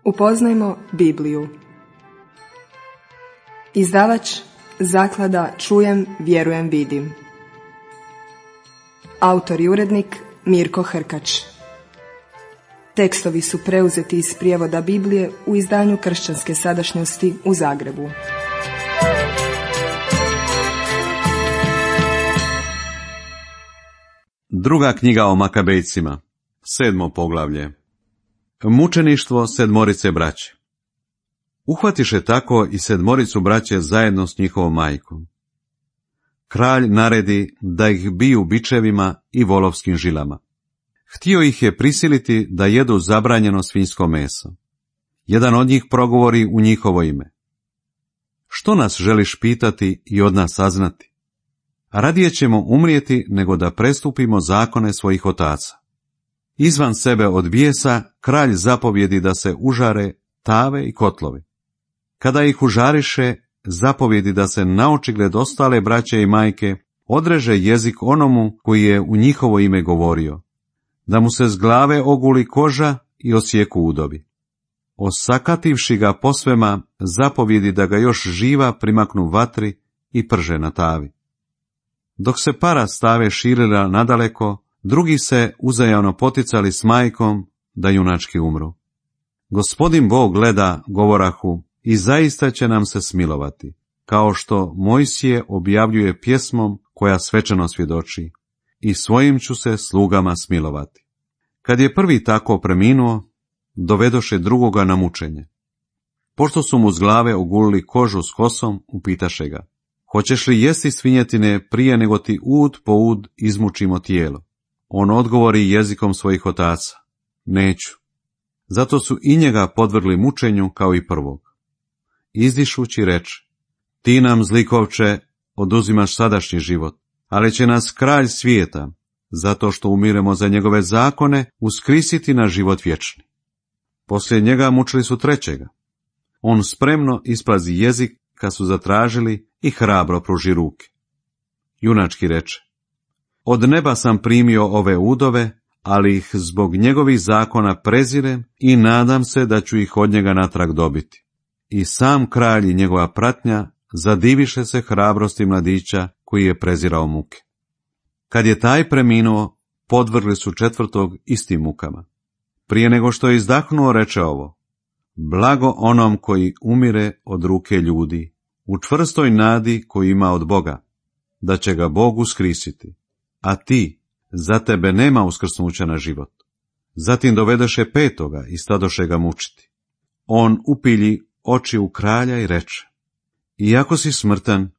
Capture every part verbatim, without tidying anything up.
Upoznajmo Bibliju. Izdavač Zaklada Čujem, vjerujem, vidim. Autor i urednik Mirko Hrkač. Tekstovi su preuzeti iz prijevoda Biblije u izdanju Kršćanske sadašnjosti u Zagrebu. Druga knjiga o Makabejcima, sedmo poglavlje. Mučeništvo sedmorice braće. Uhvatiše tako i sedmoricu braće zajedno s njihovom majkom. Kralj naredi da ih biju bičevima i volovskim žilama. Htio ih je prisiliti da jedu zabranjeno svinjsko meso. Jedan od njih progovori u njihovo ime. Što nas želiš pitati i od nas saznati? Radije ćemo umrijeti nego da prestupimo zakone svojih otaca. Izvan sebe od bijesa, kralj zapovjedi da se užare tave i kotlovi. Kada ih užariše, zapovjedi da se naočigled ostale braće i majke odreže jezik onomu koji je u njihovo ime govorio, da mu se s glave oguli koža i osjeku udobi. Osakativši ga posvema, zapovjedi da ga još živa primaknu vatri i prže na tavi. Dok se para stave širila nadaleko, drugi se uzajamno poticali s majkom da junački umru. Gospodin Bog gleda, govorahu, i zaista će nam se smilovati, kao što Mojsije objavljuje pjesmom koja svečano svjedoči, i svojim ću se slugama smilovati. Kad je prvi tako preminuo, dovedoše drugoga na mučenje. Pošto su mu s glave ogulili kožu s kosom, upitaše ga, hoćeš li jesti svinjetine prije nego ti ud po ud izmučimo tijelo? On odgovori jezikom svojih otaca, neću. Zato su i njega podvrgli mučenju kao i prvog. Izdišući reče, ti nam, zlikovče, oduzimaš sadašnji život, ali će nas kralj svijeta, zato što umiremo za njegove zakone, uskrisiti na život vječni. Poslije njega mučili su trećega. On spremno isplazi jezik kad su zatražili i hrabro pruži ruke. Junački reče, od neba sam primio ove udove, ali ih zbog njegovih zakona prezirem i nadam se da ću ih od njega natrag dobiti. I sam kralj i njegova pratnja zadiviše se hrabrosti mladića koji je prezirao muke. Kad je taj preminuo, podvrgli su četvrtog istim mukama. Prije nego što je izdahnuo, reče ovo, blago onom koji umire od ruke ljudi, u čvrstoj nadi koju ima od Boga, da će ga Bog uskrisiti, a ti, za tebe nema uskrsnuća na život. Zatim dovedoše petoga i stadoše ga mučiti. On upilji oči u kralja i reče, iako si smrtan,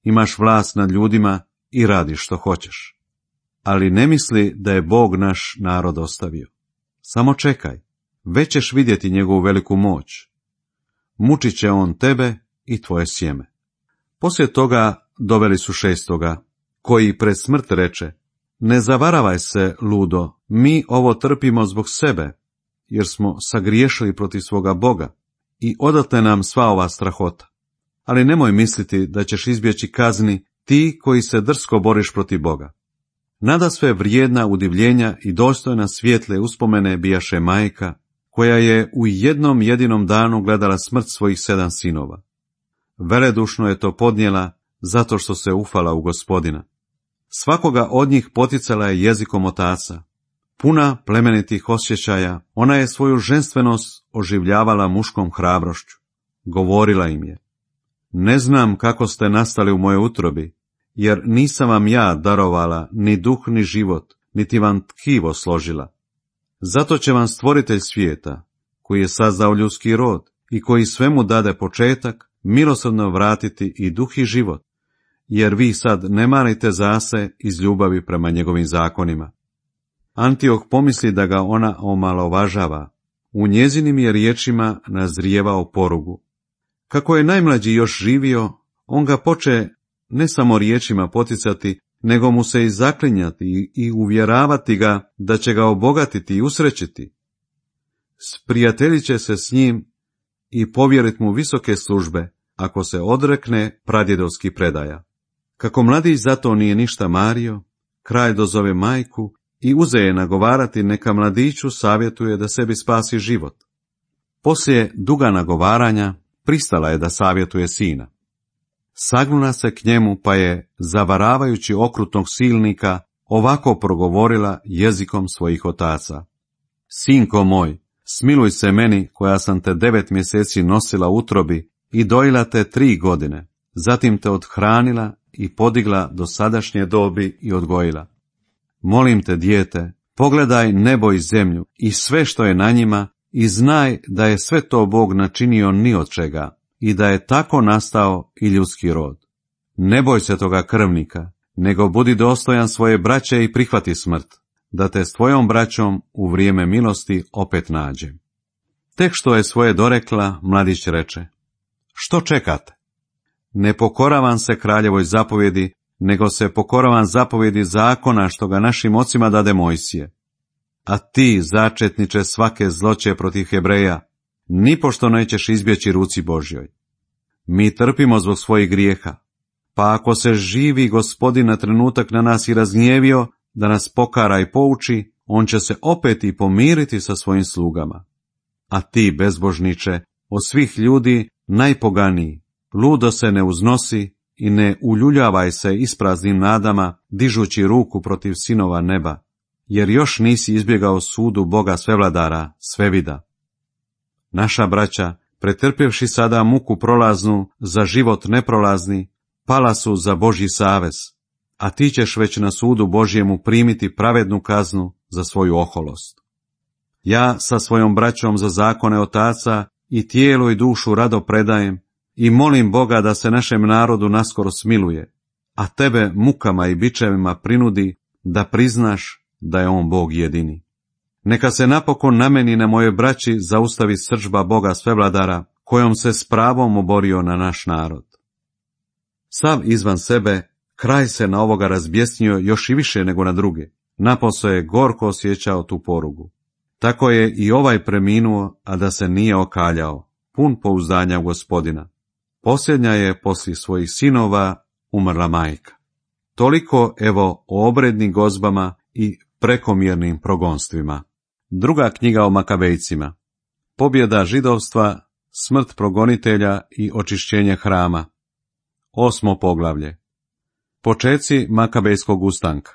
imaš vlast nad ljudima i radiš što hoćeš. Ali ne misli da je Bog naš narod ostavio. Samo čekaj, već ćeš vidjeti njegovu veliku moć. Mučit će on tebe i tvoje sjeme. Poslije toga doveli su šestoga, koji pred smrt reče, ne zavaravaj se, ludo, mi ovo trpimo zbog sebe, jer smo sagriješili protiv svoga Boga i odatle nam sva ova strahota. Ali nemoj misliti da ćeš izbjeći kazni ti koji se drsko boriš protiv Boga. Nadasve vrijedna udivljenja i dostojna svijetle uspomene bijaše majka, koja je u jednom jedinom danu gledala smrt svojih sedam sinova. Veledušno je to podnijela zato što se ufala u Gospodina. Svakoga od njih poticala je jezikom otaca. Puna plemenitih osjećaja, ona je svoju ženstvenost oživljavala muškom hrabrošću. Govorila im je, ne znam kako ste nastali u mojoj utrobi, jer nisam vam ja darovala ni duh ni život, niti vam tkivo složila. Zato će vam stvoritelj svijeta, koji je sazdao ljudski rod i koji svemu dade početak, milosrdno vratiti i duh i život, jer vi sad ne marite zase iz ljubavi prema njegovim zakonima. Antioh pomisli da ga ona omalovažava, u njezinim je riječima nazrijevao porugu. Kako je najmlađi još živio, on ga poče ne samo riječima poticati, nego mu se i zaklinjati i uvjeravati ga da će ga obogatiti i usrećiti. Sprijateljit će se s njim i povjerit mu visoke službe, ako se odrekne pradjedovskih predaja. Kako mladić zato nije ništa mario, kralj dozove majku i uze je nagovarati neka mladiću savjetuje da sebi spasi život. Poslije duga nagovaranja pristala je da savjetuje sina. Sagnula se k njemu pa je, zavaravajući okrutnog silnika, ovako progovorila jezikom svojih otaca. Sinko moj, smiluj se meni koja sam te devet mjeseci nosila u utrobi i dojila te tri godine, zatim te othranila i podigla do sadašnje dobi i odgojila. Molim te, dijete, pogledaj nebo i zemlju i sve što je na njima i znaj da je sve to Bog načinio ni od čega i da je tako nastao i ljudski rod. Ne boj se toga krvnika, nego budi dostojan svoje braće i prihvati smrt, da te s tvojom braćom u vrijeme milosti opet nađem. Tek što je svoje dorekla, mladić reče: Što čekate? Ne pokoravam se kraljevoj zapovjedi, nego se pokoravam zapovjedi zakona što ga našim ocima dade Mojsije. A ti, začetniče svake zloće protiv Hebreja, nipošto nećeš izbjeći ruci Božjoj. Mi trpimo zbog svojih grijeha, pa ako se živi Gospodin na trenutak na nas i razgnjevio da nas pokara i pouči, on će se opet i pomiriti sa svojim slugama. A ti, bezbožniče, od svih ljudi najpoganiji, ludo se ne uznosi i ne uljuljavaj se ispraznim nadama, dižući ruku protiv sinova neba, jer još nisi izbjegao sudu Boga svevladara, svevida. Naša braća, pretrpjevši sada muku prolaznu za život neprolazni, pala su za Božji savez, a ti ćeš već na sudu Božjemu primiti pravednu kaznu za svoju oholost. Ja sa svojom braćom za zakone otaca i tijelo i dušu rado predajem i molim Boga da se našem narodu naskoro smiluje, a tebe mukama i bičevima prinudi da priznaš da je on Bog jedini. Neka se napokon na meni i na moje braći zaustavi srdžba Boga svevladara, kojom se s pravom oborio na naš narod. Sav izvan sebe, kraj se na ovoga razbjesnio još i više nego na druge, napose je gorko osjećao tu porugu. Tako je i ovaj preminuo, a da se nije okaljao, pun pouzdanja u Gospodina. Posljednja je poslije svojih sinova umrla majka. Toliko evo o obrednim gozbama i prekomjernim progonstvima. Druga knjiga o Makabejcima. Pobjeda židovstva, smrt progonitelja i očišćenje hrama. Osmo poglavlje. Počeci Makabejskog ustanka.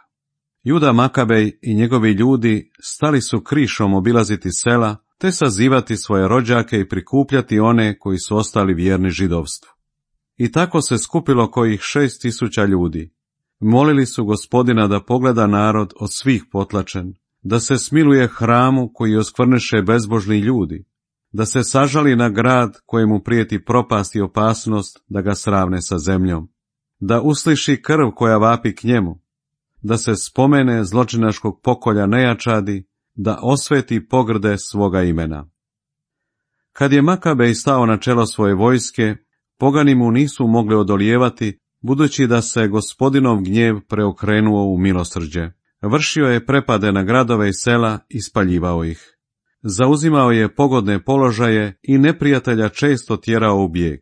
Juda Makabej i njegovi ljudi stali su krišom obilaziti sela, te sazivati svoje rođake i prikupljati one koji su ostali vjerni židovstvu. I tako se skupilo kojih šest tisuća ljudi. Molili su Gospodina da pogleda narod od svih potlačen, da se smiluje hramu koji oskvrneše bezbožni ljudi, da se sažali na grad kojemu prijeti propast i opasnost da ga sravne sa zemljom, da usliši krv koja vapi k njemu, da se spomene zločinačkog pokolja nejačadi, da osveti pogrde svoga imena. Kad je Makabej stao na čelo svoje vojske, pogani mu nisu mogli odolijevati, budući da se Gospodinov gnjev preokrenuo u milosrđe. Vršio je prepade na gradove i sela i spaljivao ih. Zauzimao je pogodne položaje i neprijatelja često tjerao u bijeg.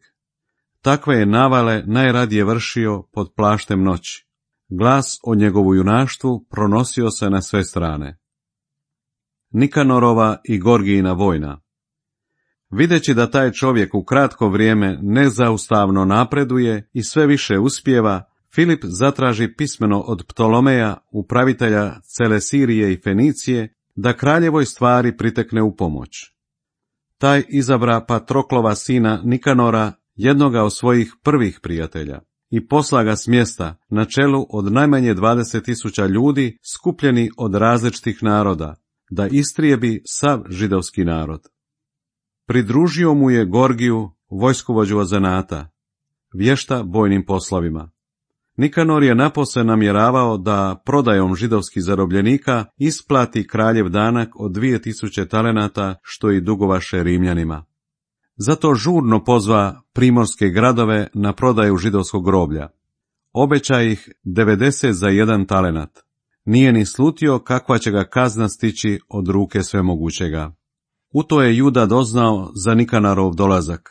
Takve je navale najradije vršio pod plaštem noći. Glas o njegovu junaštvu pronosio se na sve strane. Nikanorova i Gorgijina vojna. Videći da taj čovjek u kratko vrijeme nezaustavno napreduje i sve više uspijeva, Filip zatraži pismeno od Ptolomeja, upravitelja cele Sirije i Fenicije, da kraljevoj stvari pritekne u pomoć. Taj izabra Patroklova sina Nikanora, jednoga od svojih prvih prijatelja, i posla ga s mjesta na čelu od najmanje dvadeset tisuća ljudi skupljeni od različitih naroda, da istrijebi sav židovski narod. Pridružio mu je Gorgiju, vojskovođu od zanata, vješta bojnim poslovima. Nikanor je napose namjeravao da prodajom židovskih zarobljenika isplati kraljev danak od dvije tisuće talenata, što i dugovaše Rimljanima. Zato žurno pozva primorske gradove na prodaju židovskog groblja. Obeća ih devedeset za jedan talenat. Nije ni slutio kakva će ga kazna stići od ruke svemogućega. U to je Juda doznao za Nikanarov dolazak.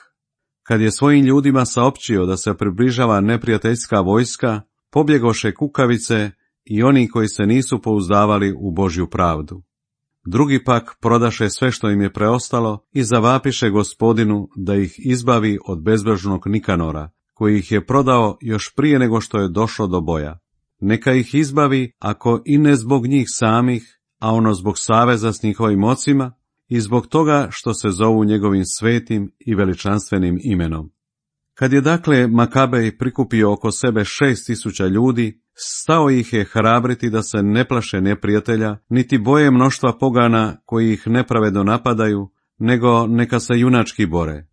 Kad je svojim ljudima saopćio da se približava neprijateljska vojska, pobjegoše kukavice i oni koji se nisu pouzdavali u Božju pravdu. Drugi pak prodaše sve što im je preostalo i zavapiše Gospodinu da ih izbavi od bezbožnog Nikanora, koji ih je prodao još prije nego što je došlo do boja. Neka ih izbavi, ako i ne zbog njih samih, a ono zbog saveza s njihovim ocima i zbog toga što se zovu njegovim svetim i veličanstvenim imenom. Kad je dakle Makabej prikupio oko sebe šest tisuća ljudi, stao ih je hrabriti da se ne plaše neprijatelja, niti boje mnoštva pogana koji ih nepravedno napadaju, nego neka se junački bore.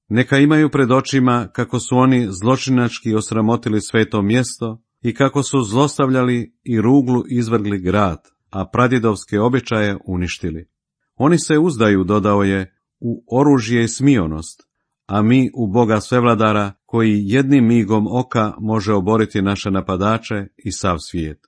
Neka imaju pred očima kako su oni zločinački osramotili sveto mjesto i kako su zlostavljali i ruglu izvrgli grad, a pradjedovske običaje uništili. Oni se uzdaju, dodao je, u oružje i smionost, a mi u Boga Svevladara, koji jednim migom oka može oboriti naše napadače i sav svijet.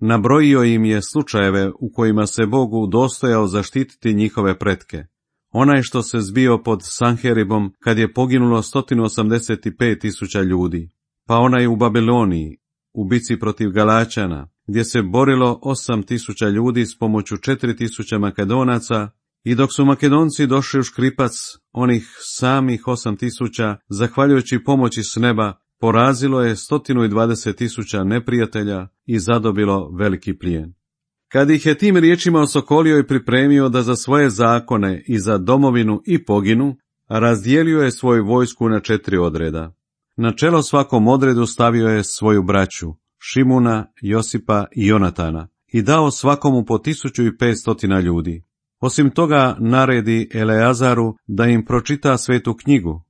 Nabrojio im je slučajeve u kojima se Bogu dostojao zaštititi njihove pretke. Onaj što se zbio pod Sanheribom kad je poginulo sto osamdeset pet tisuća ljudi, pa onaj u Babiloniji, u bici protiv Galačana, gdje se borilo osam tisuća ljudi s pomoću četiri tisuće Makedonaca, i dok su Makedonci došli u škripac, onih samih osam tisuća, zahvaljujući pomoći s neba, porazilo je sto dvadeset tisuća neprijatelja i zadobilo veliki plijen. Kad ih je tim riječima osokolio i pripremio da za svoje zakone i za domovinu i poginu, razdijelio je svoju vojsku na četiri odreda. Na čelo svakom odredu stavio je svoju braću, Šimuna, Josipa i Jonatana, i dao svakomu po tisuću i pet stotina ljudi. Osim toga naredi Eleazaru da im pročita svetu knjigu,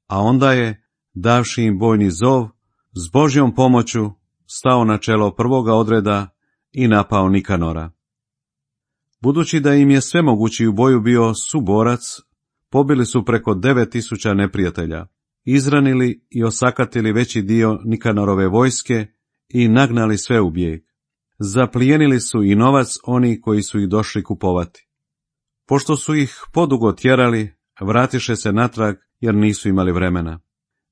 a onda je, davši im bojni zov, s Božjom pomoću stao na čelo prvoga odreda i napao Nikanora. Budući da im je svemogući u boju bio suborac, pobili su preko devet tisuća neprijatelja, izranili i osakatili veći dio Nikanorove vojske i nagnali sve u bijeg. Zaplijenili su i novac oni koji su ih došli kupovati. Pošto su ih podugo tjerali, vratiše se natrag jer nisu imali vremena.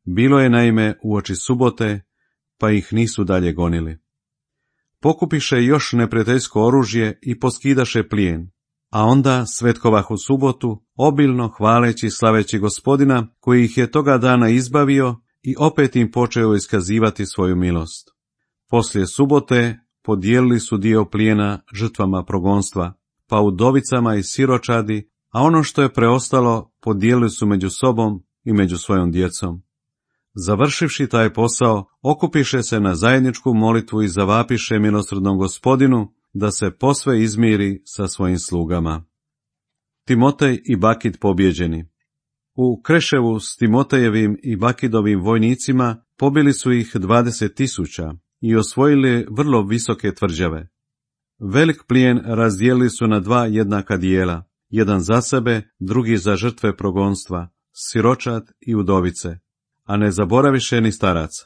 Bilo je naime uoči subote, pa ih nisu dalje gonili. Pokupiše još neprijateljsko oružje i poskidaše plijen, a onda svetkovahu subotu, obilno hvaleći i slaveći Gospodina, koji ih je toga dana izbavio i opet im počeo iskazivati svoju milost. Poslije subote podijelili su dio plijena žrtvama progonstva, pa udovicama i siročadi, a ono što je preostalo podijelili su među sobom i među svojom djecom. Završivši taj posao, okupiše se na zajedničku molitvu i zavapiše milosrdnom Gospodinu da se posve izmiri sa svojim slugama. Timotej i Bakid pobjeđeni. U Kreševu s Timotejevim i Bakidovim vojnicima pobili su ih dvadeset tisuća i osvojili vrlo visoke tvrđave. Velik plijen razdijelili su na dva jednaka dijela, jedan za sebe, drugi za žrtve progonstva, siročad i udovice, a ne zaboraviše ni staraca.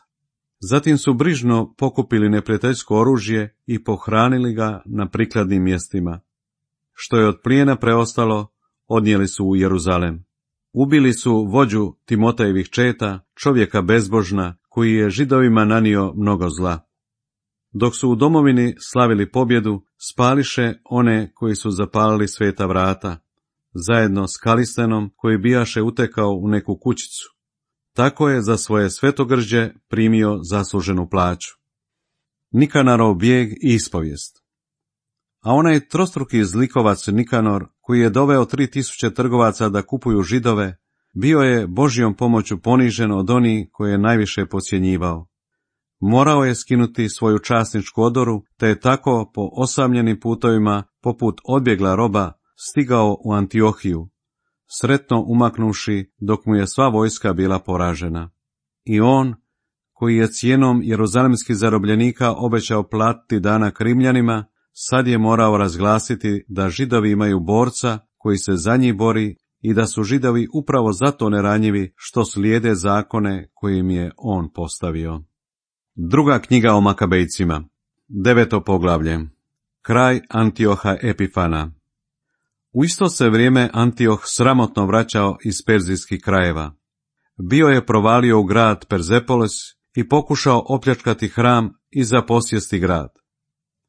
Zatim su brižno pokupili neprijateljsko oružje i pohranili ga na prikladnim mjestima. Što je od plijena preostalo, odnijeli su u Jeruzalem. Ubili su vođu Timotejevih četa, čovjeka bezbožna, koji je Židovima nanio mnogo zla. Dok su u domovini slavili pobjedu, spališe one koji su zapalili sveta vrata, zajedno s Kalistenom koji bijaše utekao u neku kućicu. Tako je za svoje svetogrđe primio zasluženu plaću. Nikanarov bijeg i ispovijest. A onaj trostruki zlikovac Nikanor, koji je doveo tri tisuće trgovaca da kupuju Židove, bio je Božjom pomoću ponižen od onih koje je najviše podcjenjivao. Morao je skinuti svoju časničku odoru, te je tako po osamljenim putovima, poput odbjegla roba, stigao u Antiohiju, sretno umaknuši dok mu je sva vojska bila poražena. I on, koji je cijenom jeruzalemskih zarobljenika obećao platiti danak Rimljanima, sad je morao razglasiti da Židovi imaju borca koji se za njih bori i da su Židovi upravo zato neranjivi što slijede zakone kojim je on postavio. Druga knjiga o Makabejcima, deveto poglavlje. Kraj Antioha Epifana. U isto se vrijeme Antioh sramotno vraćao iz perzijskih krajeva. Bio je provalio u grad Perzepolis i pokušao opljačkati hram i zaposjesti grad.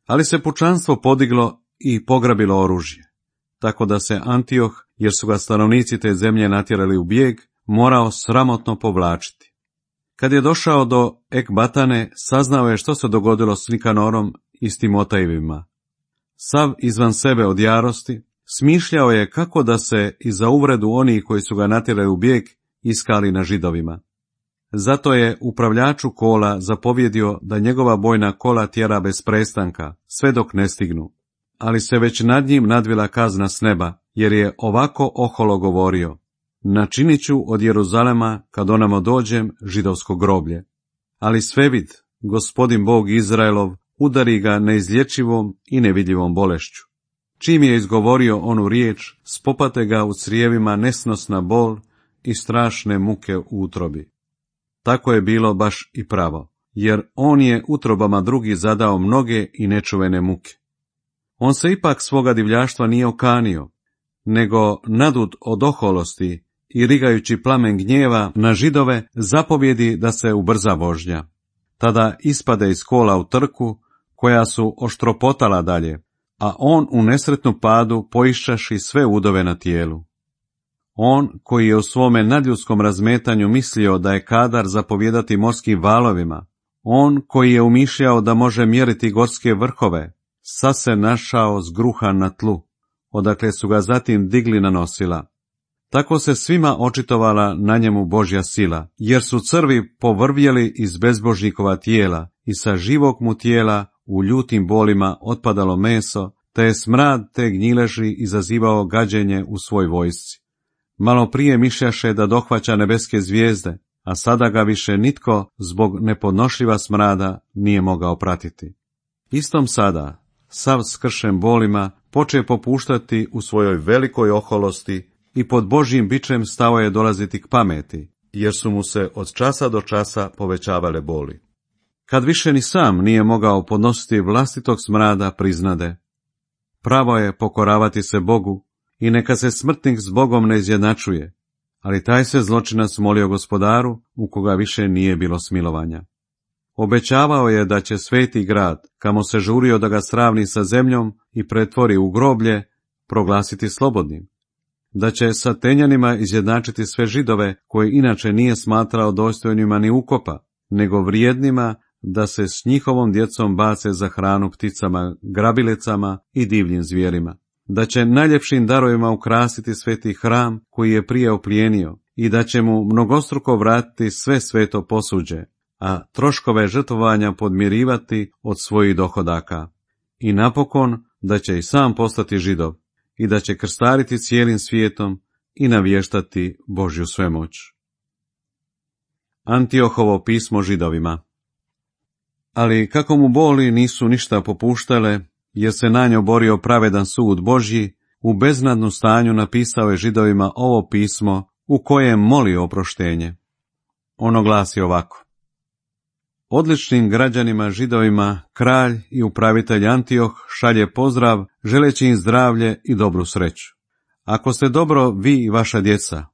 Ali se pučanstvo podiglo i pograbilo oružje. tako da se Antioh, jer su ga stanovnici te zemlje natjerali u bijeg, morao sramotno povlačiti. Kad je došao do Ekbatane, saznao je što se dogodilo s Nikanorom i s Timotejevima. Sav izvan sebe od jarosti, smišljao je kako da se i za uvredu onih koji su ga natjerali u bijeg iskali na Židovima. Zato je upravljaču kola zapovjedio da njegova bojna kola tjera bez prestanka, sve dok ne stignu. Ali se već nad njim nadvila kazna s neba, jer je ovako oholo govorio: načinit ću od Jeruzalema, kad onamo dođem, židovsko groblje. Ali svevid, Gospodin Bog Izraelov, udari ga neizlječivom i nevidljivom bolešću. Čim je izgovorio onu riječ, spopate ga u crijevima nesnosna bol i strašne muke u utrobi. Tako je bilo baš i pravo, jer on je utrobama drugih zadao mnoge i nečuvene muke. On se ipak svoga divljaštva nije okanio, nego nadut od oholosti i rigajući plamen gnjeva na Židove, zapovjedi da se ubrza vožnja. Tada ispade iz kola u trku, koja su oštropotala dalje, a on u nesretnu padu poiščaši sve udove na tijelu. On, koji je u svome nadljudskom razmetanju mislio da je kadar zapovjedati morskim valovima, on koji je umišljao da može mjeriti gorske vrhove, sad se našao zgruhan na tlu, odakle su ga zatim digli na nosila. Tako se svima očitovala na njemu Božja sila, jer su crvi povrvjeli iz bezbožnikova tijela i sa živog mu tijela u ljutim bolima otpadalo meso, te je smrad te gnjileži izazivao gađenje u svoj vojsci. Malo prije mišljaše da dohvaća nebeske zvijezde, a sada ga više nitko zbog nepodnošljiva smrada nije mogao pratiti. Istom sada, sav skršen bolima, poče popuštati u svojoj velikoj oholosti i pod Božjim bičem stao je dolaziti k pameti, jer su mu se od časa do časa povećavale boli. Kad više ni sam nije mogao podnositi vlastitog smrada, priznade: pravo je pokoravati se Bogu i neka se smrtnik s Bogom ne izjednačuje, ali taj se zločinac molio Gospodaru, u koga više nije bilo smilovanja. Obećavao je da će sveti grad, kamo se žurio da ga sravni sa zemljom i pretvori u groblje, proglasiti slobodnim, da će sa Tenjanima izjednačiti sve Židove, koje inače nije smatrao dostojnima ni ukopa, nego vrijednima da se s njihovom djecom bace za hranu pticama, grabilecama i divljim zvijerima, da će najljepšim darovima ukrasiti sveti hram koji je prije oplijenio i da će mu mnogostruko vratiti sve sveto posuđe, a troškove žrtvovanja podmirivati od svojih dohodaka. I napokon da će i sam postati Židov i da će krstariti cijelim svijetom i navještati Božju svemoć. Antiohovo pismo Židovima. Ali kako mu boli nisu ništa popuštale, jer se na nju borio pravedan sud Božji, u beznadnu stanju napisao je Židovima ovo pismo u kojem moli oproštenje. Ono glasi ovako: odličnim građanima Židovima kralj i upravitelj Antioh šalje pozdrav, želeći im zdravlje i dobru sreću. Ako ste dobro vi i vaša djeca,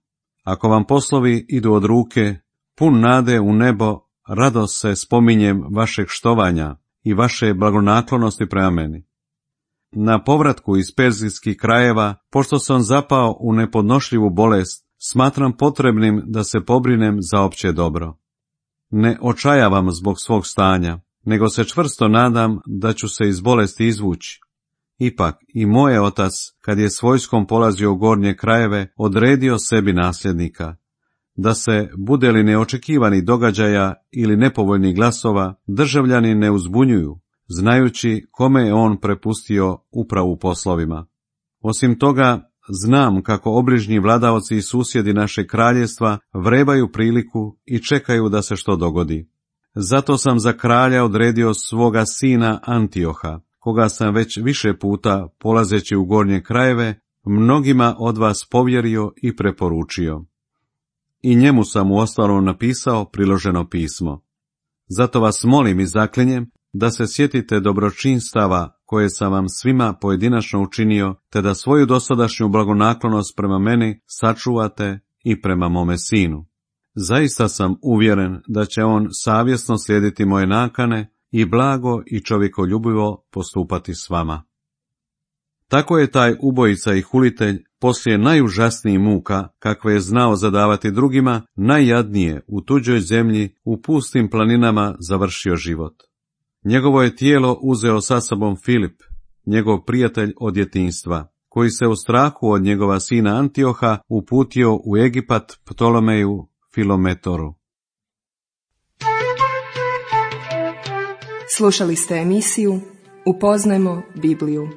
ako vam poslovi idu od ruke, pun nade u nebo, radost se spominjem vašeg štovanja i vaše blagonaklonosti prema meni. Na povratku iz perzijskih krajeva, pošto sam zapao u nepodnošljivu bolest, smatram potrebnim da se pobrinem za opće dobro. Ne očajavam zbog svog stanja, nego se čvrsto nadam da ću se iz bolesti izvući. Ipak i moj otac, kad je s vojskom polazio u gornje krajeve, odredio sebi nasljednika, da se, bude li neočekivani događaja ili nepovoljnih glasova, državljani ne uzbunjuju, znajući kome je on prepustio upravu poslovima. Osim toga, znam kako obližnji vladaoci i susjedi našeg kraljevstva vrebaju priliku i čekaju da se što dogodi. Zato sam za kralja odredio svoga sina Antioha, koga sam već više puta, polazeći u gornje krajeve, mnogima od vas povjerio i preporučio. I njemu sam uostalom napisao priloženo pismo. Zato vas molim i zaklinjem da se sjetite dobročinstava koje sam vam svima pojedinačno učinio, te da svoju dosadašnju blagonaklonost prema meni sačuvate i prema mome sinu. Zaista sam uvjeren da će on savjesno slijediti moje nakane i blago i čovjekoljubivo postupati s vama. Tako je taj ubojica i hulitelj poslije najužasnijih muka, kakve je znao zadavati drugima, najjadnije u tuđoj zemlji, u pustim planinama završio život. Njegovo je tijelo uzeo sa sobom Filip, njegov prijatelj od djetinjstva, koji se u strahu od njegova sina Antioha uputio u Egipat Ptolomeju Filometoru. Slušali ste emisiju Upoznajmo Bibliju.